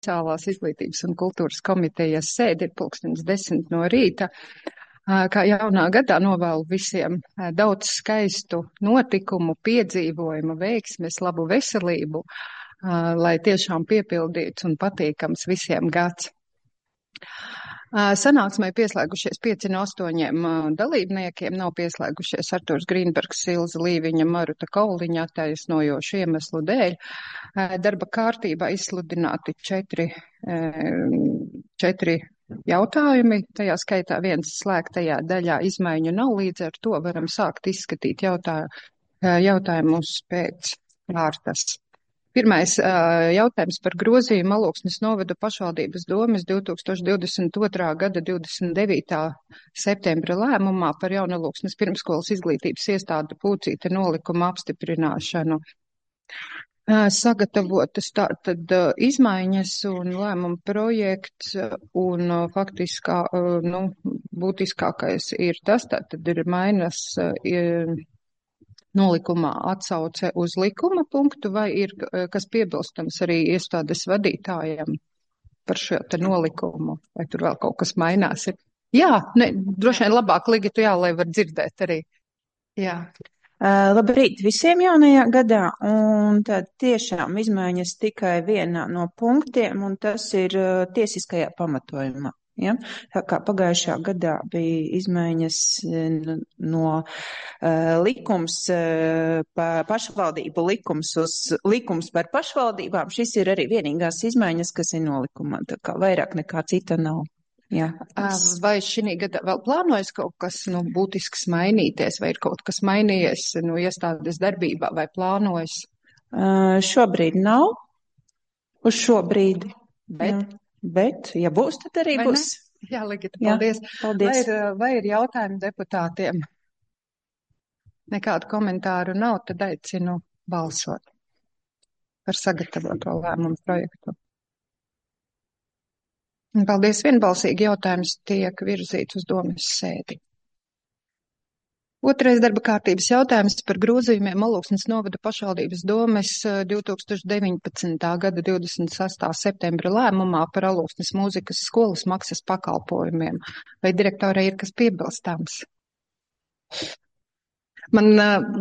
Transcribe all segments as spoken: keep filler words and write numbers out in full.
Sociālās izglītības un kultūras komitejas sēdi ir pulkstens desmit no rīta. Kā jaunā gadā novēlu visiem daudz skaistu notikumu, piedzīvojumu, veiksmes, labu veselību, lai tiešām piepildīts un patīkams visiem gads. Sanāksmē pieslēgušies pieci no astoņiem dalībniekiem, nav pieslēgušies Arturs Grīnbergs, Ilza Līviņa, Maruta Kauliņa attaisnojošu iemeslu dēļ. Darba kārtībā izsludināti četri, četri jautājumi, tajā skaitā viens slēgtajā daļā izmaiņu nav, līdz ar to varam sākt izskatīt jautā, jautājumus pēc kārtas. Pirmais jautājums par grozījumu Alūksnes novada pašvaldības domes divi tūkstoši divdesmit otrā gada divdesmit devītā septembra lēmumā par Jaunalūksnes pirmskolas izglītības iestādu Pūcīte nolikuma apstiprināšanu. Sagatavotas tātad izmaiņas un lēmuma projekts, un faktiskā, nu, būtiskākais ir tas, tātad ir mainas ir, nolikumā atsauce uz likuma punktu, vai ir kas piebilstams arī iestādes vadītājiem par šo te nolikumu, vai tur vēl kaut kas mainās? Jā, ne, droši vien labāk Ligita, jā, lai var dzirdēt arī. Jā. Uh, labrīt visiem jaunajā gadā, un tad tiešām izmaiņas tikai vienā no punktiem, un tas ir uh, tiesiskajā pamatojumā. Ja? Tā kā pagājušā gadā bija izmaiņas no uh, likums, uh, pa pašvaldību likums uz likums par pašvaldībām, šis ir arī vienīgās izmaiņas, kas ir nolikumā, tā kā vairāk nekā cita nav. Jā. Vai šī gadā vēl plānojas kaut kas, nu, būtisks mainīties, vai ir kaut kas mainījies, nu, iestādes darbībā, vai plānojas? Uh, šobrīd nav, uz šo brīdi, bet, jā. Bet, ja būs, tad arī vai būs. Ne? Jā, Ligita, paldies. Jā, paldies. Vai ir, vai ir jautājumi deputātiem? Nekādu komentāru nav, tad aicinu balsot par sagatavoto lēmumu projektu. Paldies, vienbalsīgi jautājums tiek virzīts uz domes sēdi. Otrais darba kārtības jautājums par grozījumiem Alūksnes novada pašvaldības domes divi tūkstoši deviņpadsmitā gada divdesmit sestā septembra lēmumā par Alūksnes mūzikas skolas maksas pakalpojumiem. Vai direktorai ir kas piebilstāms? Man,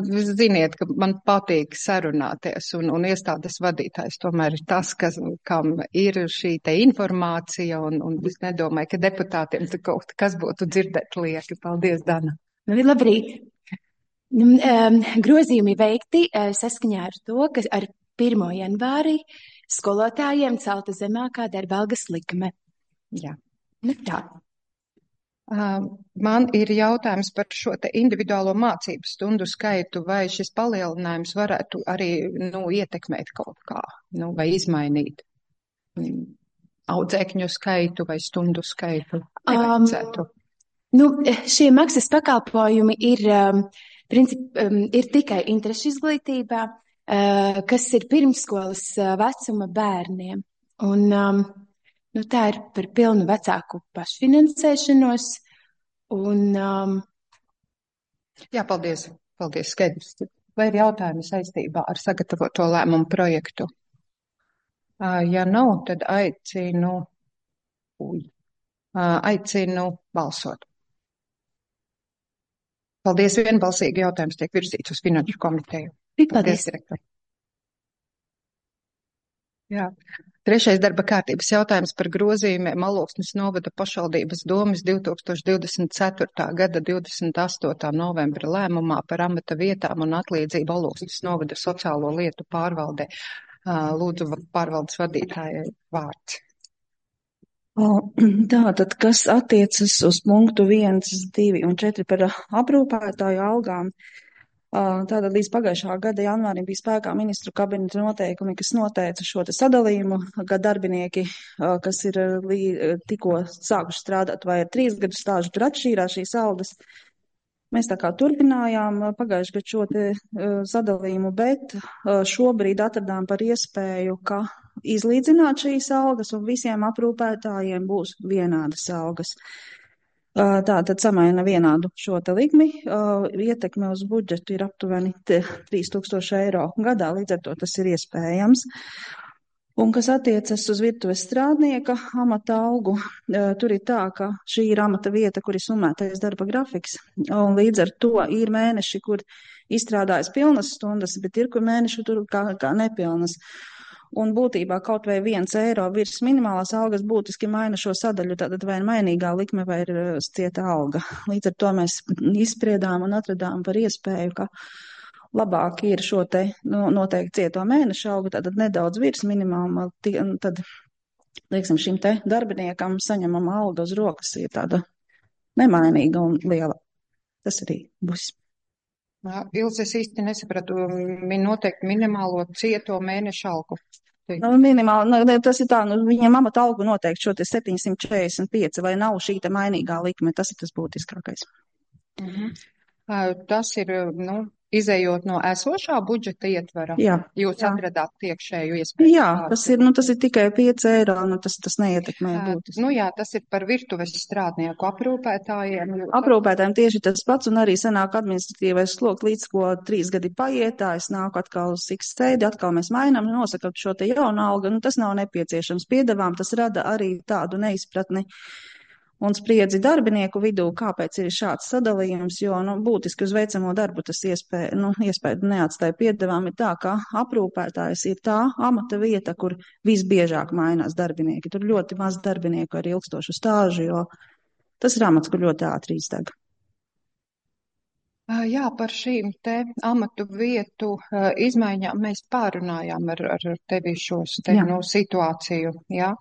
ziniet, ka man patīk sarunāties, un, un iestādes vadītājs tomēr ir tas, kas, kam ir šī te informācija, un, un es nedomāju, ka deputātiem te kaut kas būtu dzirdēt lieki. Paldies, Dana. Labrīt. Um, grozījumi veikti uh, saskaņā ar to, ka ar pirmo janvāri skolotājiem celta zemākā darba algas likme. Jā. Nu, tā. Uh, man ir jautājums par šo te individuālo mācību stundu skaitu, vai šis palielinājums varētu arī, nu, ietekmēt kaut kā, nu, vai izmainīt um, audzēkņu skaitu vai stundu skaitu. Nevajadzētu. Um, Nu, šie maksas pakalpojumi ir, um, princip, um, ir tikai interešu izglītībā, uh, kas ir pirmsskolas uh, vecuma bērniem. Un um, nu, tā ir par pilnu vecāku pašfinansēšanos. Un, um... Jā, paldies. Paldies, skaidrs. Vai ir jautājumi saistībā ar sagatavoto lēmumu projektu? Uh, ja nav, tad aicinu, uj, uh, aicinu balsot. Paldies, vienbalsīgi jautājums tiek virzīts uz finanšu komiteju. Paldies, direktori. Jā. Trešais darba kārtības jautājums par grozījumiem Alūksnes novada pašvaldības domes divi tūkstoši divdesmit ceturtā gada divdesmit astotā novembra lēmumā par amata vietām un atlīdzību Alūksnes novada sociālo lietu pārvaldē. Lūdzu, pārvaldes vadītājai vārds. Tātad, kas attiecas uz punktu viens, divi un četri par aprūpētāju algām, tātad līdz pagājušā gada janvārim bija spēkā ministru kabineta noteikumi, kas noteica šo te sadalījumu, ka darbinieki, kas ir tikko sākuši strādāt vai ar trīs gadu stāžu, tur atšķīrās šīs algas. Mēs tā kā turpinājām pagājuši gadu šo te sadalījumu, bet šobrīd atradām par iespēju, ka izlīdzināt šīs algas un visiem aprūpētājiem būs vienādas algas. Tātad samaina vienādu šo te likmi, ietekme uz budžetu ir aptuveni trīs tūkstoši eiro gadā, līdz ar to tas ir iespējams. Un kas attiecas uz virtuves strādnieka amata algu, tur ir tā, ka šī ir amata vieta, kur ir summētais darba grafiks, un līdz ar to ir mēneši, kur izstrādājas pilnas stundas, bet ir, kur mēneši tur kā, kā nepilnas. Un būtībā kaut vai viens eiro virs minimālās algas būtiski maina šo sadaļu, tātad vai mainīgā likme vai ir cieta alga. Līdz ar to mēs izspriedām un atradām par iespēju, ka labāk ir šo te nu, noteikti cieto mēneša algu, tātad nedaudz virs minimāma, tad, lieksim, šim te darbiniekam saņemama alga uz rokas ir tāda nemainīga un liela. Tas arī būs. Ilze, es īsti nesapratu, min noteikti minimālo cieto mēneša algu. Nu, minimāli, nu, tas ir tā, nu, viņam amata algu noteikti šo te septiņsimt četrdesmit pieci, vai nav šī te mainīgā likme, tas ir tas būtiskākais. Mhm. Tas ir, nu, izējot no esošā budžeta ietvara, jā, jūs jā. atradāt iekšēju iespēju. Jā, tas ir, nu, tas ir tikai pieci eiro, nu, tas, tas neietekmē būtiski. Nu jā, tas ir par virtuves strādnieku aprūpētājiem. Aprūpētājiem tieši tas pats, un arī sanāk administratīvais sloks, līdz ko trīs gadi paietā, es nāku atkal uz X sēdi, atkal mēs mainām, nosakam šo te jaunu algu, nu, tas nav nepieciešams. Piedevām tas rada arī tādu neizpratni un spriedzi darbinieku vidū, kāpēc ir šāds sadalījums, jo, nu, būtiski uz veicamo darbu tas iespēja, nu, iespēja neatstāja piedevām ir tā, ka aprūpētājs ir tā amata vieta, kur visbiežāk mainās darbinieki. Tur ļoti maz darbinieku ar ilgstošu stāžu, jo tas ir amats, kur ļoti ātri izdeg. Jā, par šīm te amatu vietu izmaiņām mēs pārunājām ar, ar tevi šos te, nu, situāciju, jā.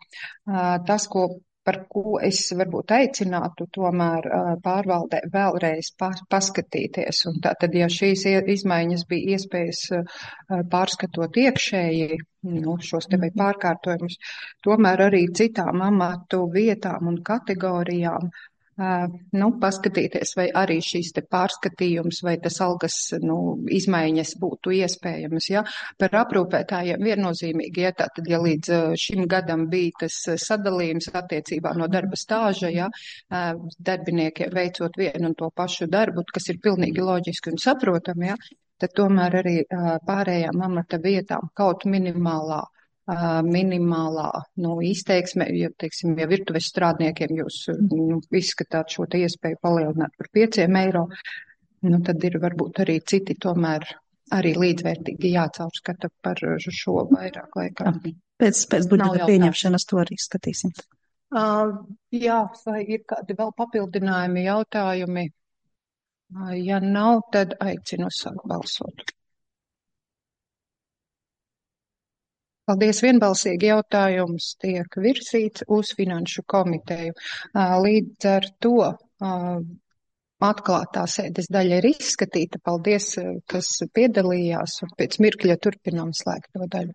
Tas, ko par ko es varbūt aicinātu tomēr pārvaldē vēlreiz paskatīties. Un tātad, ja šīs izmaiņas bija iespējas pārskatot iekšēji, nu, šos te vai pārkārtojumus, tomēr arī citām amatu vietām un kategorijām, nu, paskatīties, vai arī šīs te pārskatījums vai tas algas, nu, izmaiņas būtu iespējamas, ja. Par aprūpētājiem viennozīmīgi, ja tātad, ja līdz šim gadam bija tas sadalījums attiecībā no darba stāža, ja, darbiniekiem veicot vienu un to pašu darbu, kas ir pilnīgi loģiski un saprotami, ja, tad tomēr arī pārējām amata vietām kaut minimālā minimālā, nu, izteiksme, ja, teiksim, ja virtuves strādniekiem jūs, nu, izskatāt šo te iespēju palielināt par pieciem eiro, nu, tad ir varbūt arī citi tomēr arī līdzvērtīgi jācaurskata par šo vairāk laikā. Pēc, pēc budžeta pieņemšanas to arī skatīsim. Uh, jā, vai ir kādi vēl papildinājumi, jautājumi? Uh, ja nav, tad aicinu sākt balsot. Paldies, vienbalsīgi jautājums tiek virsīts uz finanšu komiteju. Līdz ar to atklātā sēdes daļa ir izskatīta. Paldies, kas piedalījās, un pēc mirkļa turpinām slēgto daļu.